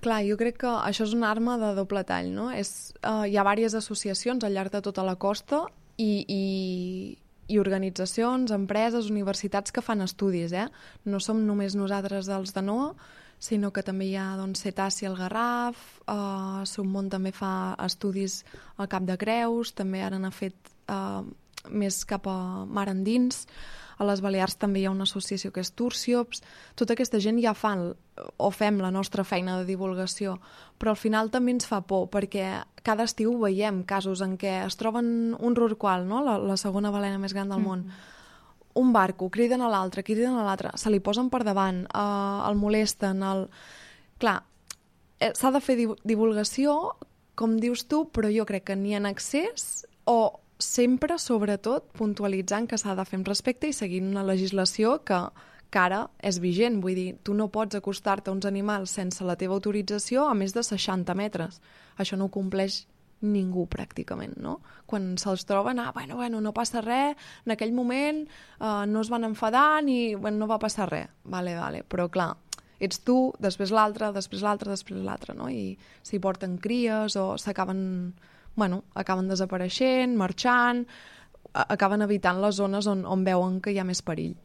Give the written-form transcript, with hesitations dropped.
Clar, jo crec que això és una arma de doble tall, no? Hi ha diverses associacions al llarg de tota la costa i organitzacions, empreses, universitats que fan estudis, eh? No som només nosaltres dels de NOA, sinó que també hi ha doncs, Cetaci al Garraf, Submont també fa estudis al Cap de Creus, també ara n'ha fet més cap a mar endins. A les Balears també hi ha una associació que és Turciops. Tota aquesta gent ja fan o fem la nostra feina de divulgació, però al final també ens fa por, perquè cada estiu veiem casos en què es troben un rorqual, no? la segona balena més gran del món, un barco, criden a l'altre, se li posen per davant, el molesten, Clar, s'ha de fer divulgació, com dius tu, però jo crec que ni en excés o sempre, sobretot, puntualitzant que s'ha de fer amb respecte i seguint una legislació que ara és vigent. Vull dir, tu no pots acostar-te a uns animals sense la teva autorització a més de 60 metres. Això no ho compleix ningú, pràcticament, no? Quan se'ls troben, bueno, no passa res, en aquell moment no es van enfadar ni no va passar res. Vale, però clar, ets tu, després l'altre, no? I s'hi porten cries o s'acaben desapareixent, marxant, acaben evitant les zones on veuen que hi ha més perill.